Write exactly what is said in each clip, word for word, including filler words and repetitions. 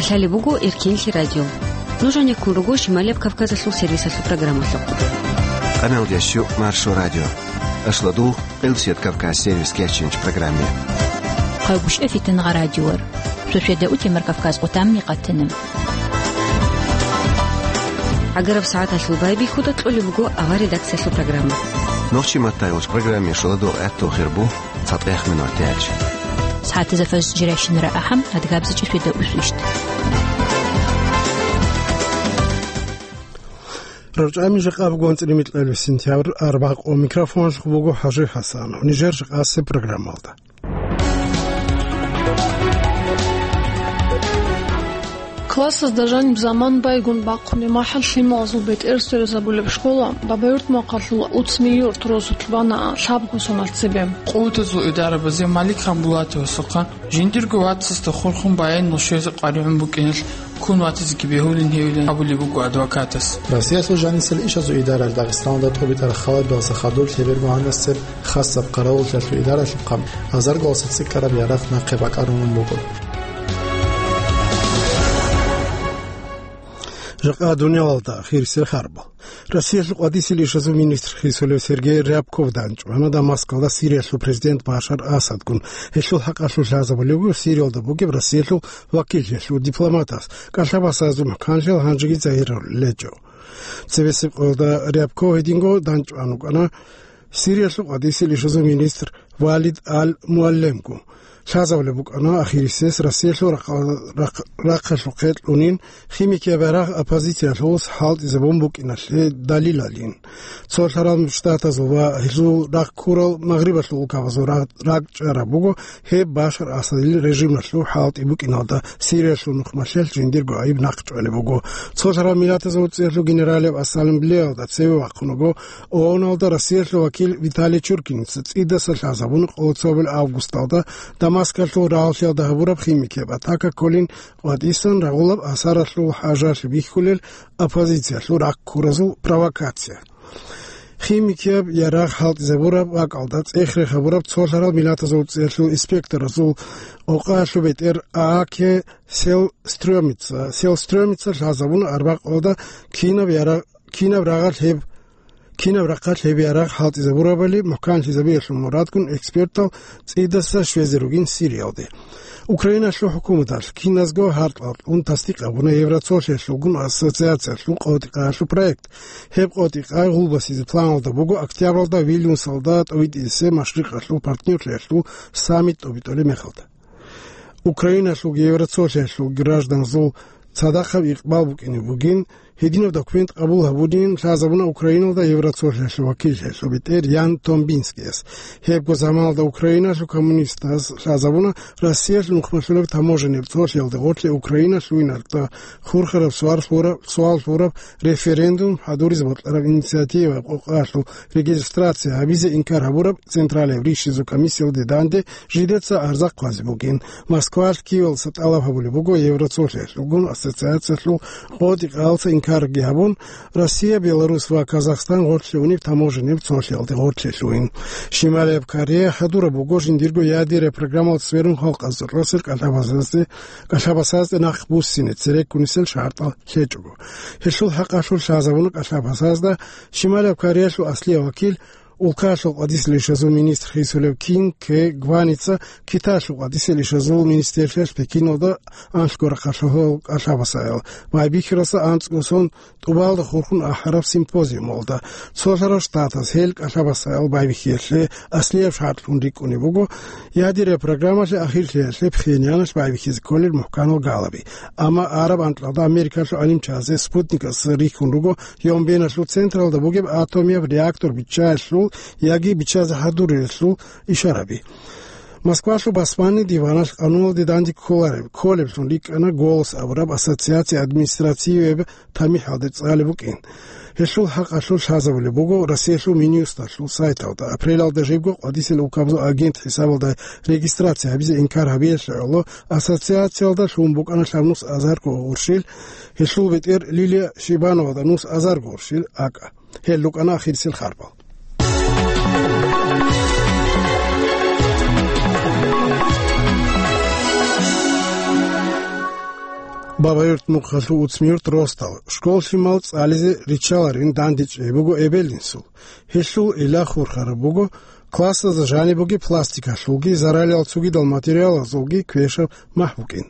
Лъалеб буго Эркенлъи радио. Нуж гьанеккун руго Шималияб Кавказалъул сервисалъул программалъухъ. Къаналдящу Маршо радио. Ашладул, Къилсият Кавказ сервис кеченч программе. Хъагушев Фитнагъа радиор. Суседа утемар Кавказ къутамни къатана. ГӀагараб сагӀаталъул байбихьуда кьолеб буго авар редакциялъул программа. Нохчи маттайгъуч программе шоладул гӀатту хирбу. ЦатӀех минуталъ. СагӀатазда фажр жирайщинара ахӀам, адгабзичӀи светда усвищ. РорчӀами жакъа бугон цӀиримикьалев сентябрь арбакъо микрофонлъ буго ХӀажи ХӀасан. Нижер жакъасе программалда. Классазда жаниб заман байгун бахъунеб махӀал лъималазул бетӀер сверизабулеб школа Бабаюрт махъалъул Уцми-Юрт росулъ бана лъабго соналъ цебе. Къуватазул идарабазе Малик Ханбулатовасухъа жиндирго вацасда хурхун баянил щвезе къваригӀун букӀиналъ ккун ватизеги бегьулин гьевилан абулеб буго адвокатас. Россиялъул жанисел ишазул идаралъ Дагъистаналда тӀубитӀараб халабиялдаса хадуб лъеберго гьанасеб хасаб къаравуллъиялъул идаралъухъа азарго цӀикӀкӀараб ярагъ нахъе бакӀарулун буго. Жакъа дуниялалда ахирисел харбал. Россиялъул къватӀисел ишазул министр хисулев Сергей Рябков данчӀвана Дамаскалда Сириялъул президент Башар Асадгун. Гьелъул хӀакъалъулъ лъазабулеб буго Сириялда бугеб Россиялъул вакиллъиялъул дипломатас. КӀалъабасазул мухӀканлъиялъ гьанжеги загьирулел гьечӀо. Цебесеб къоялда Рябков гьединго данчӀван вукӀана Сириялъул къватӀисел ишазул министр Валид Ал-Муаллемгу. Лъазабулеб букӀана ахирисез Россиялъул рахъ-, рахъ-, рахъалъухъе кьунин химикияб ярагъ оппозициялъулас хӀалтӀизабун букӀиналъе далилалин. Цолъарал Штатазул ва гьезул рахъ ккурал Магърибалъул улкабазул рагъ-, ракӀчӀараб буго гьеб Башар Асадил режималъул хӀалтӀи букӀиналда Сириялъул нухмалъелъ жиндирго гӀайиб нахъчӀвалеб буго. Цолъарал Миллатазул ЦӀикӀкӀалъул Генералияб Ассамблеялда цеве вахъун вуго ООНалда Россиялъул вакил Виталий Чуркиница цӀидаса лъазабун къоло цебе августалда Дамаскалъул рагьалъиялда гьабураб химикияб атака кколин къватӀисан рагъулаб асаралъул хӀажалъи бихьулел оппозициялъул рахъ ккуразул провокация. Химикияб ярагъ хӀалтӀизабураб бакӀалда цӀех-рех гьабураб цолъарал Миллатазул ЦӀикӀкӀалъул инспекторазул къокъаялъул бетӀер А К Селстрёмица, Селстрёмица лъазабуна арбакъалда кинаб ярагъ, кинаб рагъалъ гьеб, кинаб рахъалъ гьеб ярагъ хӀалтӀизабурабали мухӀканлъизабиялъул мурадгун экспертал цӀидаса щвезе ругин Сириялде. Украиналъул хӀукуматалъ киназго гьаркьалъун тасдикъ гьабуна Евроцолъиялъулгун ассоциациялъул къотӀи-къаялъул проект. Гьеб къотӀи-къай гъулбасизе планалда буго октябралда Вильнюсалда тӀовитӀизе машрикъалъул партнерлъиялъул саммит тӀобитӀулеб мехалда. Украиналъул Евроцолъиялъул гражданзул цадахъаб икъбал букӀине бугин, гьединаб документ къабул гьабунин лъазабуна Украиналда Евроцолъиялъул вакиллъиялъул бетӀер Ян Томбинскияс. Гьебго заманалда Украиналъул коммунистаз лъазабуна Россиялъул нухмалъулеб таможеннияб цолъиялде гъорлъе Украина лъугьиналда хурхараб суал лъураб, суал лъураб референдум хӀадуризе бокьараб инициативаяб къокъаялъул регистрация гьабизе инкар гьабураб Централияб ришизул комиссиялде данде жидеца гӀарза хъвазе бугин. Москвалъ Киевалдаса тӀалаб гьабулеб буго Евроцолъиялъулгун ассоциациялъул къотӀи-къаялдаса инкарги гьабун, Россия, Беларус ва Казахстан гъорлъе унеб таможеннияб цолъиялде гъорлъе лъугьин. Шималияб Корея хӀадураб буго жиндирго ядерный программалда сверун халкъазул росел кӀалъабасазде, кӀалъабасазде нахъ буссине цереккунисел шартӀал лъечӀого. Гьелъул хӀакъалъулъ лъазабуна кӀалъабасазда Шималияб Кореялъул аслияб вакил, улкаялъул къватӀисел ишазул министр хисулев Кин Кэ Гваница Китаялъул къватӀисел ишазул министрлъиялъ Пекиналда анлъго рахъалъулъ кӀалъабасаял байбихьаралдаса анцӀго сон тӀубалда хурхун ахӀараб симпозиумалда. Цолъарал Штатаз гьел кӀалъабасаял байбихьиялъе аслияб шартӀлъун рикӀкӀунеб буго ядерный программалъе ахирлъиялъе Пхеньяналъ байбихьизе кколел мухӀканал галаби. Амма араб анкьалда Америкалъул гӀалимчазе Спутникас рихьун руго Йомбеналъул централда бугеб атомияб реактор биччаялъул яги биччазе хӀадуриялъул ишараби. Москвалъул басманни диваналъ къануналде данде кколареб, кколеблъун рикӀкӀана «Голос» абураб ассоциация административияб тамихӀалде цӀалеб букӀин. Гьелъул хӀакъалъулъ лъазабулеб буго Россиялъул Минюсталъул сайталда, апрелалда жибго къватӀисел улкабазул агент хӀисабалда регистрация гьабизе инкар гьабиялъе гӀоло ассоциациялда лъун букӀана лъабнус азарго гъурщил, гьелъул бетӀер Лилия Шибановада нус азарго гъурщил акӀа. Гьел рукӀана ахирисел харбал. Бабаюрт мухъалъул Уцмиюрт росдал, школ лъимал цӀализе риччаларин дандечӀей буго эбел-инсул. Гьелъул илагь хурхараб буго классазда жаниб бугеб пластикалъулги заралиял цогидал материалазулги квешаб махӀ букӀин.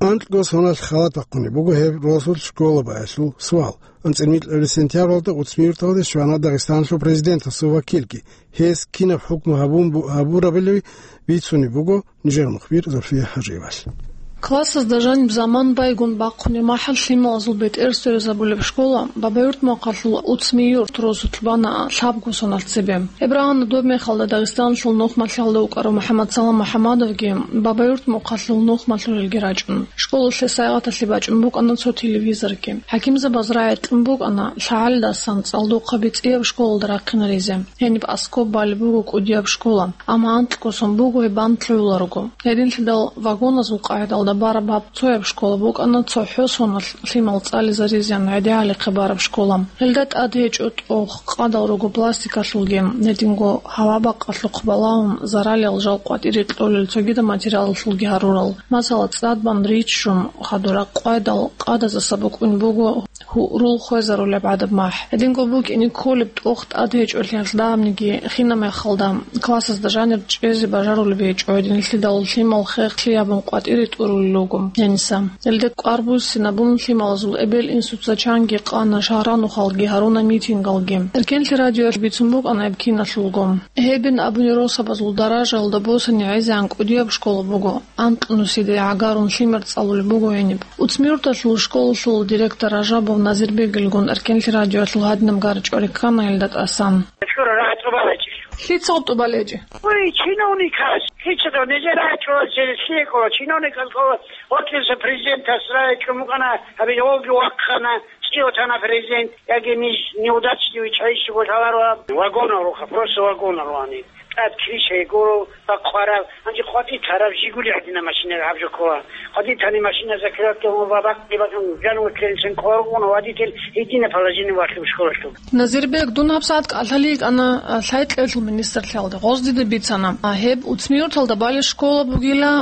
Анкьго соналъ халат бахъунеб буго гьеб росулъ школа баялъул суал. АнцӀила микьабилеб сентябралда Уцмиюрталде щвана Дагъистаналъул президентасул вакилги. Гьес кинаб хӀукму гьабун бу-, гьабурабилеви бицунеб буго нижер мухбир Зульфия Гьажиевалъ. Классазда жаниб заман байгун бахъунеб махӀал лъималазул бетӀер сверизабулеб школа Бабаюрт мухъалъул Уцмиюрт росулъ бана лъабго соналъ цебе. Гьеб рагӀана доб мехалда Дагъистаналъул нухмалъиялда вукӀарав МухӀаммадсалам МухӀаммадовги Бабаюрт мухъалъул нухмалъулелги рачӀун. Школалъе сайгъаталъе бачӀун букӀана цо телевизорги. ХӀакимзабаз рагӀи кьун букӀана лъагӀалидасан цӀалдохъаби цӀияб школалда рахъинаризе. Гьениб аскоб балеб буго кӀудияб школа, амма анкьго сон буго гьеб бан лъугӀуларого. Гьединлъидал вагоназул къагӀидалда бараб гьаб цояб школа букӀана цохӀо соналъ лъимал цӀализаризеян гӀедегӀалихъе бараб школа. Гьелда тӀад гьечӀо тӀох, къадал руго пластикалъулги, гьединго гьава-бакъалъухъ балагьун заралиял жал къватӀире кьолел цогидаб материалалъулги гьарурал. Масала, цӀад бан риччун хадур къвайдал къадазаса букӀун буго гьурул хвезарулеб гӀадаб махӀ. Гьединго букӀине кколеб тӀох тӀад гьечӀолъиялъ дагьабниги хинаб мехалда, классазда жанир чӀезе бажарулеб гьечӀо, гьединлъидал лъимал хехлъи гьабун къватӀире тӀурулел руго гьениса. Гьелде кӀвар буссинабун лъималазул эбел-инсуца чанги къана, шагьранухалги гьаруна митингалги. Эркенлъи радиоялъ бицун букӀана гьеб киналъулго. Гьебин абуни росабазул даражаялда босани гӀезегӀан кӀудияб школа буго, анкь нусиде гӀагарун лъимер цӀалулеб буго гьениб. Уцмиюрталъул школалъул директор Ражабов Назирбегилгун Эркенлъи радиоялъул гьадинаб гарачӀвари ккана гьелда тӀасан. Шура рагӀи тӀубалечӀищ. Лъица тӀубалечӀи? Ой, чиновникас, лъица дов, нижер рагӀи чӀвалчи, лъие ккола, чиновникас ккола, отлиса президентас рагӀи чӀумукъана, гьабизе волги вахъана, цӀиотана президент, яги ниж неудачливый чайищего лъаларо, вагонал руха, просто вагонал руани. ТӀад крыша гуро, бахъварав, гьанже къватӀи тарав, Жигули гӀадина машина гьаб жо ккола. КъватӀи тани машина закрывать гьабун ва бакъги бакӀун, жану ккелцин ккола, водитель гьедина положение вахъун школалъув. Назирбек, дун гьабсагӀат кӀалъалин йикӀана, а, лъай-кьеблъул министрлъиялда. Гъоз дида бицана, а, гьеб Уцмиюрталда балеб школа бугила,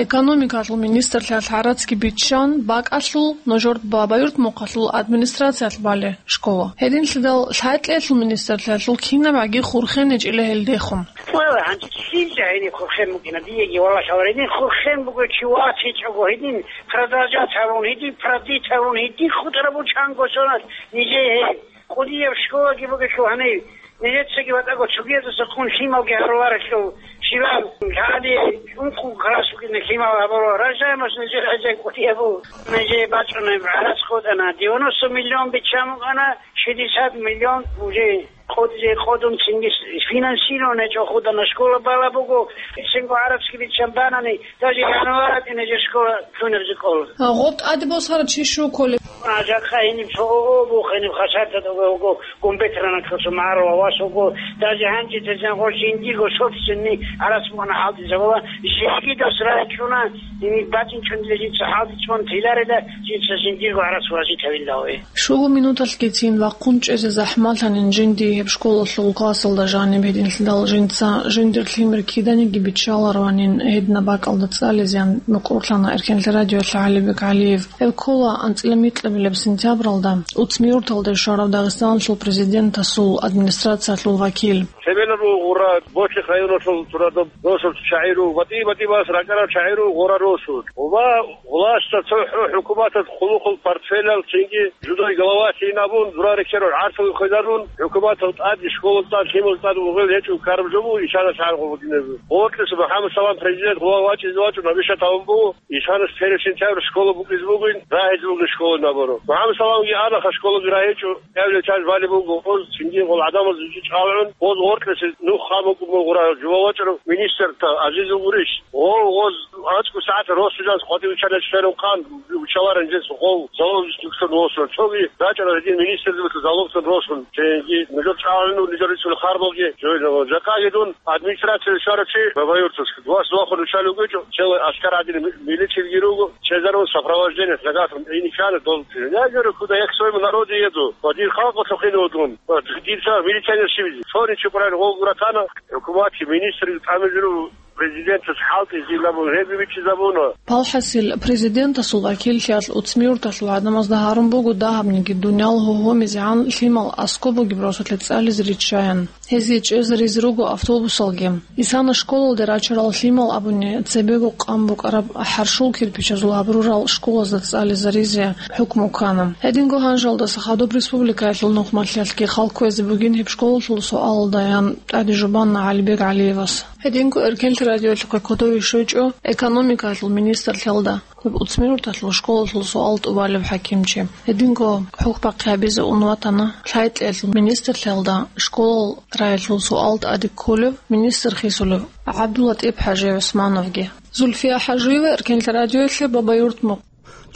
экономикалъул министрлъиялъ гӀарацги биччан, бакӀалъул, нужер Бабаюрт мухъалъул администрациялъ балеб школа. Гьединлъидал лъай-кьеблъул министрлъиялъул кинабгӀаги хурхен гьечӀила гьелдехун. Валла, гьанже лъил жагьилин хурхен букӀина диеги, валлагь, гьавар гьедин хурхен буго чи ватичӀого, гьедин продолжать гьавун, гьедин продлить гьавун, гьедин хутӀараб бучанго соналъ нижее гьей. КӀудияб школаги бугелъул гьанив, нижецаги ватӀаго цогиязаса хъун лъималги гьаруларелъул, щибаб гьади ункъо класс букӀина лъимал гьабуро, рождаемость нижер гӀезегӀан кӀудияб буго. Нижее бачӀунеб гӀарац хутӀана, девяносто миллион биччан букӀана, шестьдесят миллион уже къодизе къодун цинги финансирование чӀохудана, школа бала буго, цинго гӀарацги биччан банани, даже январь тӀинезе школа лъунебзе кӀола. А гъоб тӀаде босара чи щуколеб? А, жакъа гьениб цо ООО буго, гьениб хасартада буго, гумбет рана косо маро вас буго, даже гьанже тезен гъо жиндиго собственный гӀарац бугана гьалтӀизабула, жиндиго срачуна, гьениб бачӀинчӀун жинца гьалтӀичӀун тиларила, жинца жиндиго гӀарац вазитавилла. Щуго минуталъгицин вахъун чӀезе захӀмалъанин жинди гьеб школалъул классалда жаниб, гьединлъидал жинца жиндир лъимер киданиги биччалароанин гьединаб бакӀалда цӀализеян мукӀурлъана Эркенлъи радиоялъ ГӀалибек ГӀалиев. Гьеб ккола анцӀила микьабилеб сентябралда Уцмиюрталде щварав Дагъистаналъул президентасул администрациялъул вакил. Цебелаб гъура Бочлих районалъул турадаб досул чагӀи руго, батӀи-батӀи бас ракӀарал чагӀи руго гъура росул. Ва властьда цохӀо хӀукуматалъ хъулухъул портфелал цинги жудой главалъин абун, дура рекерал гӀарцул хвезарун, хӀукуматал тӀад, школал тӀад, лъимал тӀад угъел гьечӀо, караб жо буго, ишана шагьар гъо бугинаб. Гъоркьиса МухӀаммад Салам президент гъо вачӀизе вачӀун, гьабиша тавун буго, ишана первый сентябрь школа букӀизе бугин, рагьизе бугин школа наборо. МухӀаммад Саламги анаха школа гирагьечӀо, гӀевлел чаз балеб буго, гъоз цинги гъол гӀадамаз жи чӀалгӀун, гъоз гъоркьиса нух хъа букӀун буго гъура, жува вачӀарав министрта Азизул гурищ. Гъов гъоз анцӀго сагӀат росулъанс къватӀив виччана чилъарун хъан, виччаларин жинца гъов залогьист вуссун росун. Цоги рачӀана гьедин министрлъиялда залогьтун росун. Цинги нужер чӀалгӀун, нужер рицун харбалги жойнава. Жакъаги дун администрацияда щварав чи Бабаюртовск. Вас вахун виччалев гьечӀо, целый аскар гӀадин ми-, милициялги руго, чезарун сопровождение, загатун, и нихана дол. Я говорю, куда я к своему народу еду? Ва дир халкъалъухъ ине вугун. Ва дирца милиционер щибизе. Цони чукъурал гъов гуратана, хӀукуматги министрги тӀамизару Президентас хӀалтӀизилабун гьеб бичӀчӀизабуна. Палхасил президентасул вакиллъиялъ Уцмиурталъул гӀадамазда гьарун буго дагьабниги дуниял гьогьомизегӀан лъимал аскӀоб бугеб росулъе цӀализе риччаян. Гьезие чӀезаризе руго автобусалги. Исана школалде рачарал лъимал абуни, цебего къан букӀараб хӀаршул кирпичазул гьабрурал школазда цӀализаризе хӀукму ккана. Гьединго гьанжалдаса хадуб республикаялъул нухмалъиялъги хал кквезе бугин гьеб школалъул суалалдаян тӀаде жубана ГӀалибег ГӀалиевас. Гьединго Эркенлъи радиоялъухъе кодове щвечӀо экономикаялъул министрлъиялда. Гьеб Уцмиурталъул школалъул суал тӀубалеб хӀакимчи. Гьединго хӀухь бахъи гьабизе ун ватана лъайтӀиялъул министрлъиялда школал раялъул суал тӀаде кколев министр хисулев ГӀабдуллатӀип ХӀажи ГӀусмановги. Зульфия ХӀажиева, Эркенлъи радиоялъе, Бабаюрт, Мухъ.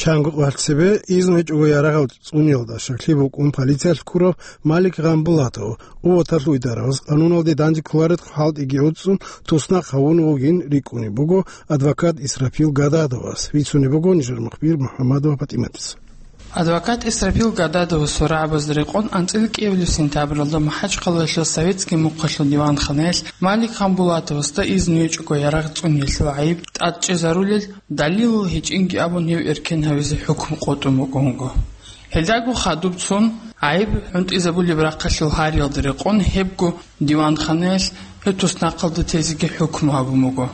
Чанго къварцебе изну гьечӀого ярагъал цӀуниялда щаклъи букӀун полициялъ ккурав Малик Гъамбулатов, къуваталъул идараваз къануналде данде кколарелъул хӀалтӀиги гӀуцӀун туснахъ гьавун вугин рикӀкӀунеб буго адвокат Исрафил Гададовас, бицунеб буго нижер мухбир МухӀаммадова ПатӀиматица. Адвокат Исрафил Гададовасул рагӀабазда рекъон анцӀила кӀиабилеб сентябралда МахӀачхъалаялъул Советский мухъалъул диванханаялъ Малик Гъамбулатовасда изну гьечӀого ярагъ цӀуниялъул гӀайиб тӀадчӀезарулел далилал гьечӀинги абун гьев эркен гьавизе хӀукму къотӀун буго. Гьелдаго хадубцун гӀайиб гӀунтӀизабулеб рахъалъул гьариялда рекъон гьебго диванханаялъ гьев туснахъалда тезеги хӀукму гьабун буго.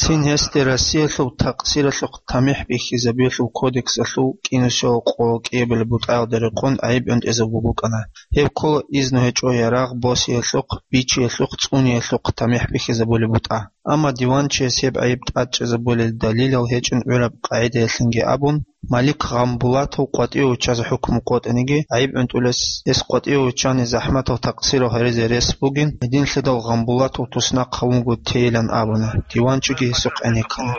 Цин гьесде Россиялъул такъсиралъухъ тамихӀ бихьизабиялъул кодексалъул кӀинусиялъул къо кӀиабилеб бутӀаялда рекъон гӀайиб гӀунтӀизабун букӀана. Гьеб ккола изну гьечӀо ярагъ босиялъухъ, бичиялъухъ, цӀуниялъухъ тамихӀ бихьизабулеб бутӀа. Амма диванчияс гьеб гӀайиб тӀадчӀезабулел далилал гьечӀин гӀураб къагӀидаялъинги абун, Малик Гъамбулатов къватӀиве виччазе хӀукму къотӀиниги, гӀайиб гӀунтӀулес гьес къватӀиве виччани захӀматал такъсирал гьаризе рес бугин, гьединлъидал Гъамбулатов туснахъ гьавун вуго тейилан абуна, диванчиги гьесухъ гӀенеккана.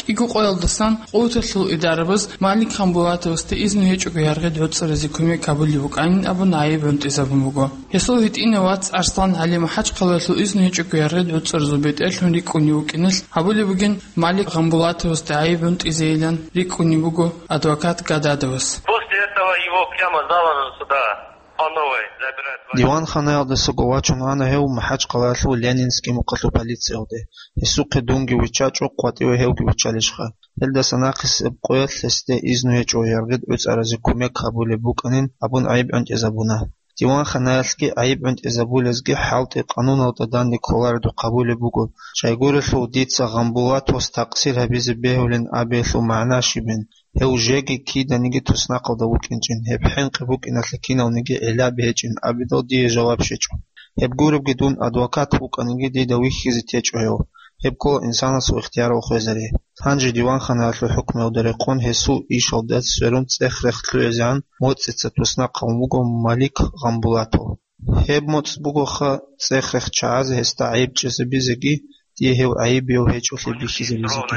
КӀиго къоялдасан къуваталъул идарабаз Малик Гъамбулатовасда изну гьечӀого яргъид гӀуцӀаразе кумек гьабулеб букӀанин абун гӀайиб гӀунтӀизабун буго. Гьесул гьитӀинав вац АрслангӀали МахӀачхъалаялъул изну гьечӀого яргъид гӀуцӀаразул бетӀерлъун рикӀкӀунев вукӀиналъ гьабулеб бугин Малик Гъамбулатовасда гӀайиб гӀунтӀизейилан рикӀкӀунеб буго адвокат Гададовас. После этого его прямо за ногу сюда по новой забирают. Диванханаялдасаго вачун ана гьев МахӀачхъалаялъул Ленинский мухъалъул полициялде. Гьесухъе дунги виччачӀо, къватӀиве гьевги виччалищха. Гьелдаса нахъисеб къоялъ гьесде изну гьечӀо яргъид гӀуцӀаразе кумек гьабулеб букӀанин абун гӀайиб гӀунтӀизабуна. Диванханаялъги гӀайиб гӀунтӀизабулезги хӀалтӀи къануналда данде кколаредухъ гьабулеб буго. Щайгурелъул дица Гъамбулатовас такъсир гьабизе бегьулин абиялъул магӀна щибин, гьев жеги киданиги туснахъалда вукӀинчӀин, гьеб хӀинкъи букӀиналъе киналниги гӀиллаби гьечӀин абидал дие жаваб щечӀо. Гьеб гуребги дун адвокат вукӀаниги дида вихьизе течӀо гьев. Гьеб ккола инсанасул ихтиярал хвезари. Гьанже диванханаялъул хӀукмуялда рекъон гьесул ишалда сверун цӀех-рех лъугӀизегӀан моцӀица туснахъ гьавун вуго Малик Гъамбулатов. Гьеб моцӀ бугоха цӀех-рех чагӀазе гьесда гӀайиб чӀезабизеги, дие гьев гӀайибияв гьечӀолъи бихьизабизеги.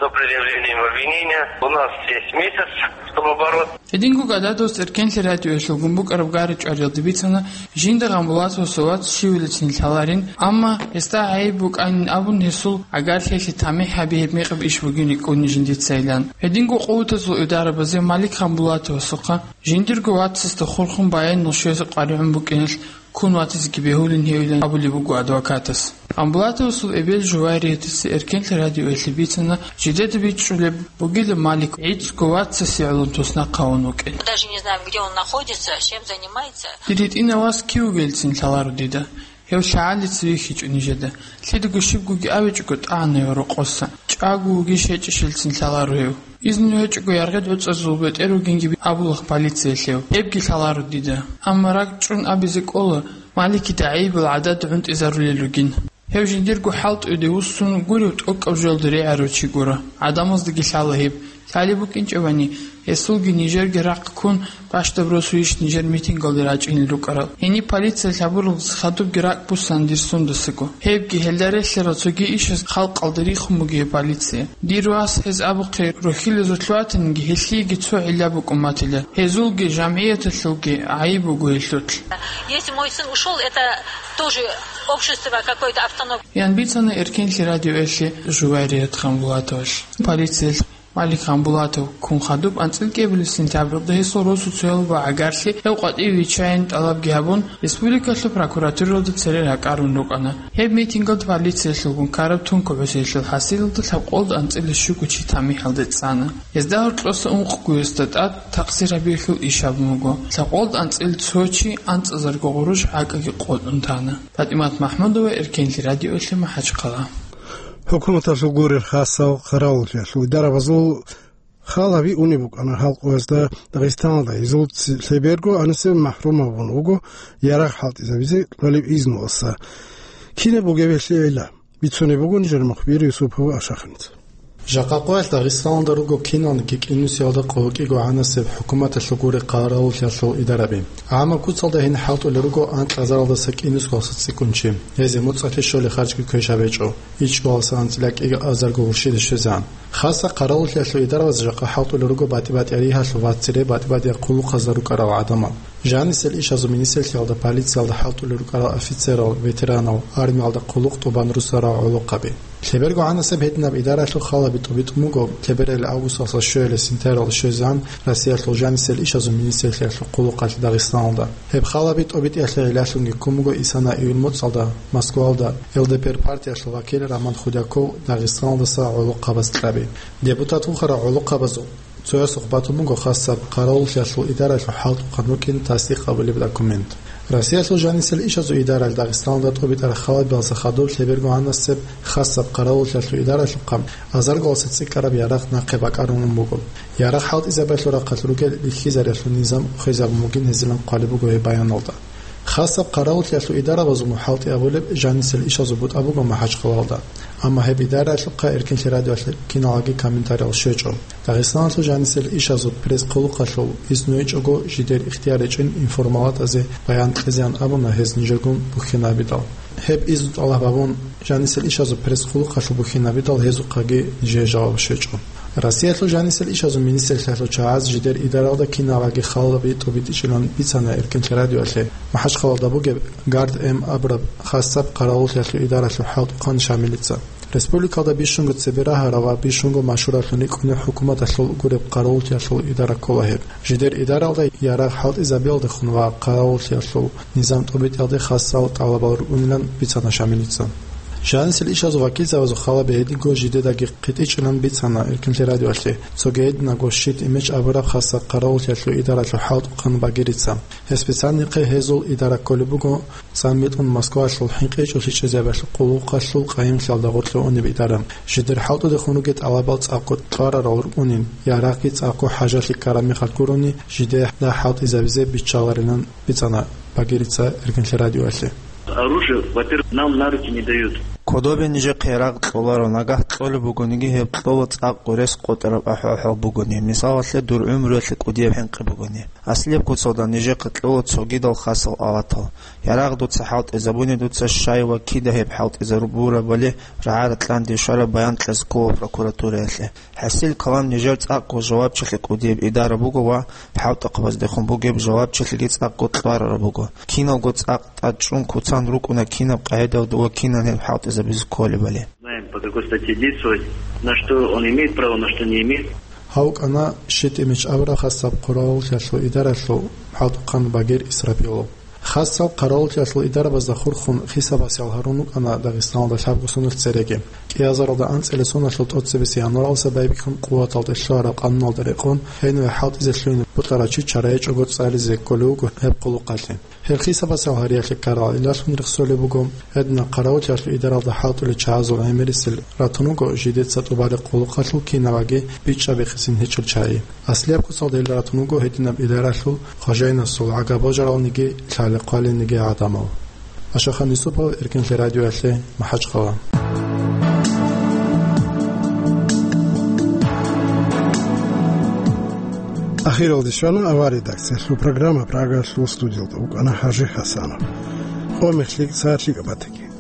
До предъявления обвинения у нас есть месяц, чтобы бороться. Гьединго Гададовас Эркенлъи радиоялъулгун букӀараб гьари чӀвариялда бицана, жинда Гъамбулатовасул вац щивилицин лъаларин, амма гьесда гӀайиб букӀанин абун гьесул гӀагарлъиялъе тамихӀ гьаби гьеб мекъаб иш бугин рикӀкӀуни жиндицайилан. Гьединго къуватазул идарабазе Малик Гъамбулатовасухъа жиндирго вацасда хурхун баянал щвезе къваригӀун букӀиналъ ккун ватизеги бегьулин гьевилан абулеб буго адвокатас. Гъамбулатовасул эбел Жувариятица Эркенлъи радиоялъе бицана, жидеда бичӀчӀулеб бугила Малик гӀицӀго вацасе гӀоло туснахъ гьавун вукӀин. Даже не знаем, где он находится, чем занимается. Дир гьитӀинав вас кив вугелцин лъаларо дида. Гьев лъагӀалица вихьичӀо нижеда. Лъидаго щибгоги абичӀого тӀагӀана гьев рокъоса. ЧӀаго вугищ гьечӀищелцин лъаларо гьев. Изну гьечӀого яргъи гӀуцӀазул бетӀер вугинги абулахъ полициялъев. Гьебги лъаларо дида. Амма ракӀчӀун абизе кӀола, Маликида гӀайибал гӀадада гӀунтӀизарулел ругин. Гьев жиндирго хӀалтӀуде вуссун гурев тӀокӀаб жоялда регӀарав чи гуро. ГӀадамаздаги лъала гьеб. Лъалеб букӀинчӀебани, гьесулги нижерги рахъ ккун, бащдаб росуйищ нижер митингалде рачӀинел рукӀарал. Гьениб полициялъ гьабуралдаса хадубги ракӀ буссана дир сундасаго. Гьебги гьелда релълъарал цоги ишаз халкъалда рихун бугеб полиция. Дир вас гьез абухъе рохьилазулъ ватаниги, гьелъиеги цо гӀилла букӀун батила. Гьезулги, жамгӀияталъулги гӀайиб буго гьелъулъ. Если мой сын ушёл, это тоже общество какой-то автономии. Ян бицана Эркенлъи радиоялъе Жуварият Гъамбулатовалъ. Полициялъ Малик Ханбулатов ккун хадуб анцӀила кӀиабилеб сентябралда гьесул росуцоял ва гӀагарлъи гьев къватӀиве виччайин тӀалабги гьабун, республикалъул прокуратуралда цере ракӀарун рукӀана. Гьеб митингалда полициялъулгун ккараб тункаб гӀусиялъул хӀасилалда лъабкъолда анцӀила щуго чи тамихӀалде цӀана. Гьезда гьоркьоса ункъго гьесда тӀад такъсир гьабиялъул иш гьабун буго. Лъабкъолда анцӀила цо чи анцӀазарго гъурущ гӀакӀаги къотӀун тана. ПатӀимат Махмудова, Эркенлъи радиоялъе, МахӀачхъала. ХӀукуматалъул гурел хасал къаравуллъиялъул идарабазул хал гьаби унеб букӀана халкъ гьезда Дагъистаналда. Гьезул ци-, лъеберго анисеб махӀрум гьабун вуго ярагъ хӀалтӀизабизе кьолеб изнуласа. Кинаб бугеб гьелъие гӀилла? Бицунеб буго нижер мухбир Юсупов Ашахинца. Жакъа къоялъ Дагъистаналда руго киналниги кӀинусиялда къо кӀиго гӀанасеб хӀукуматалъул гурел къаравуллъиялъул идараби. ГӀаммаб куцалда гьениб хӀалтӀулел руго анкьазаралдаса кӀинусгоялдаса цӀикӀкӀун чи. Гьезие муцӀалъе щолеб харжги квешаб гьечӀо. ИчӀго-алса анцӀила кӀиго азарго гурщиде щвезегӀан. Хасаб къаравуллъиялъул идарабаз жакъа хӀалтӀулел руго батӀи-батӀияб ригьалъул ва цере батӀи-батӀияб хъулухъазда рукӀарал гӀадамал. Жанисел ишазул министрлъиялда, полициялда хӀалтӀулел рукӀарал офицерал, ветеранал, армиялда хъулухъ тӀубан руссарал гӀолохъаби. Лъеберго гӀанасеб гьединаб идаралъул хал гьаби тӀубитӀун буго лъебералъ августалъа щвеялъ сентябралда щвезегӀан Россиялъул жанисел ишазул министрлъиялъул хъулухъалъ Дагъистаналда. Гьеб хал гьаби тӀубитӀиялъе гӀиллалъунги ккун буго исана июль моцӀалда Москвалда ЛДПР партиялъул вакил Роман Худяков Дагъистаналдаса гӀолохъабаз кьаби. Депутат вухарал гӀолохъабазул цоясухъ батун буго хасаб къаравуллъиялъул идаралъул хӀалтӀухъан рукӀин тасдикъ гьабулеб документ. Россиялъул жанисел ишазул идаралъ Дагъистаналда тӀубитӀараб хал гьабиялдаса хадуб лъеберго гӀанасеб хасаб къаравуллъиялъул идаралъухъа азарго-алса цӀикӀкӀараб ярагъ нахъе бакӀарун буго. Ярагъ хӀалтӀизабиялъул рахъалъ ругел бихьизариялъул низам ухезабун бугин гьезилан хъвалеб буго гьеб баяналда. Хасаб къаравуллъиялъул идарабазул хӀалтӀи абулеб жанисел ишазул бутӀа буго МахӀачхъалалда. Амма гьеб идараялъухъа Эркенлъи радиоялъе киналги комментариял щвечӀо. Дагъистаналъул жанисел ишазул пресс-хъулухъалъул изну гьечӀого жидер ихтияр гьечӀин информалатазе баян кьезеян абуна гьез нижергун бухьинабидал. Гьеб изну тӀалаб гьабун жанисел ишазул пресс-хъулухъалъул бухьинабидал гьезухъаги нижее жаваб щвечӀо. Россиялъул жанисел ишазул министрлъиялъул чагӀаз жидер идаралда кинабаги халаби тӀубитӀичӀилан бицана Эркенлъи радиоялъе МахӀачхъалалда бугеб Гард М абураб хасаб къаравуллъиялъул идаралъул хӀалтӀухъан Шамилица. Республикалда бищунго цебе рагьарав ва бищунго машгьураблъун рикӀкӀунеб хӀукуматалъул гуреб къаравуллъиялъул идара ккола гьеб. Жидер идаралда ярагъ хӀалтӀизабиялдехун ва къаравуллъиялъул низам тӀубитӀиялде хасал тӀалабал рукӀунилан бицана Шамилица. Жанисел ишазул вакилзабазул халаби гьединго жидедаги хъитӀичӀилан бицана Эркенлъи радиоялъе цоги гьединаго Щит-Имич абураб хасаб къаравуллъиялъул идаралъул хӀалтӀухъан Багирица. Гьес бицанихъе гьезул идара кколеб буго цӀамбитӀун Москвалъул хӀинкъичӀолъи чӀезабиялъул хъулухъалъул къайимлъиялда гъорлъе унеб идара. Жидер хӀалтӀудехун ругел тӀалабал цӀакъго кьварарал рукӀунин, ярагъги цӀакъго хӀажалъи ккараб мехалъ гурони, жидеда хӀалтӀизабизе биччаларилан бицана Багирица Эркенлъи радиоялъе. Оружие, во-первых, нам на руки не дают. Кодобе нижехъе ярагъ кьоларо, нагагь кьолеб бугониги, гьеб кьола цӀакъго рес къотӀараб ахӀвал-хӀал бугони, мисалалъе, дур гӀумруялъе кӀудияб хӀинкъи бугони. Аслияб куцалда нижехъе кьола цогидал хасал алатал. Ярагъ дуца хӀалтӀизабуни, дуца щай ва кида гьеб хӀалтӀизабурабали рагӀа-ракьанде щвараб баян кьезе ккола прокуратураялъе. ХӀасил калам нижер цӀакъго жавабчилъи кӀудияб идара буго ва хӀалтӀухъабаздехун бугеб жавабчилъиги цӀакъго кьварараб буго. Киналго цӀакъ тӀад чӀун куцан рукӀуна кинаб къагӀидалда ва кинан гьеб хӀалтӀизабизе кколебали. Знаем, по какой статье действовать, на что он имеет право, на что не имеет. Гьав кӀана Щит-Имич абураб хасаб къаравуллъиялъул идаралъул хӀалтӀухъан Багир Исрапилов. Хасал къаравуллъиялъул идарабазда хурхун хисабасел гьарун рукӀана Дагъистаналда лъабго соналъ цереги. КӀиазаралда анцӀила соналъул тӀоцебесеб январалдаса байбихьун къуваталде лъугьараб къануналда рекъон, гьениве хӀалтӀизе лъугьине бокьарав чи чара гьечӀого цӀализе кколев вуго гьеб хъулухъалъе. Гьеб хисабасел гьариялъе ккарал гӀиллалъун рехсолеб буго, гьединаб къаравуллъиялъул идаралда хӀалтӀулел чагӀазул гӀемерисел ратун вуго жидеца тӀубараб хъулухъалъул кинабаги бичӀчӀабихъисин гьечӀел чагӀи. Аслияб куцалда гьел ратун вуго гьединаб идаралъул хважайнасул гӀага божаралниги лъалехъвалиниги гӀадамал. Ашахан Юсупов, Эркенлъи радиоялъе, МахӀачхъала. Ахиралде щвана авария редакциялъул программа, Прагалъул студиялда вукӀана ХӀажи ХӀасанов. Къо мехлъи цалъи кӀапатаги.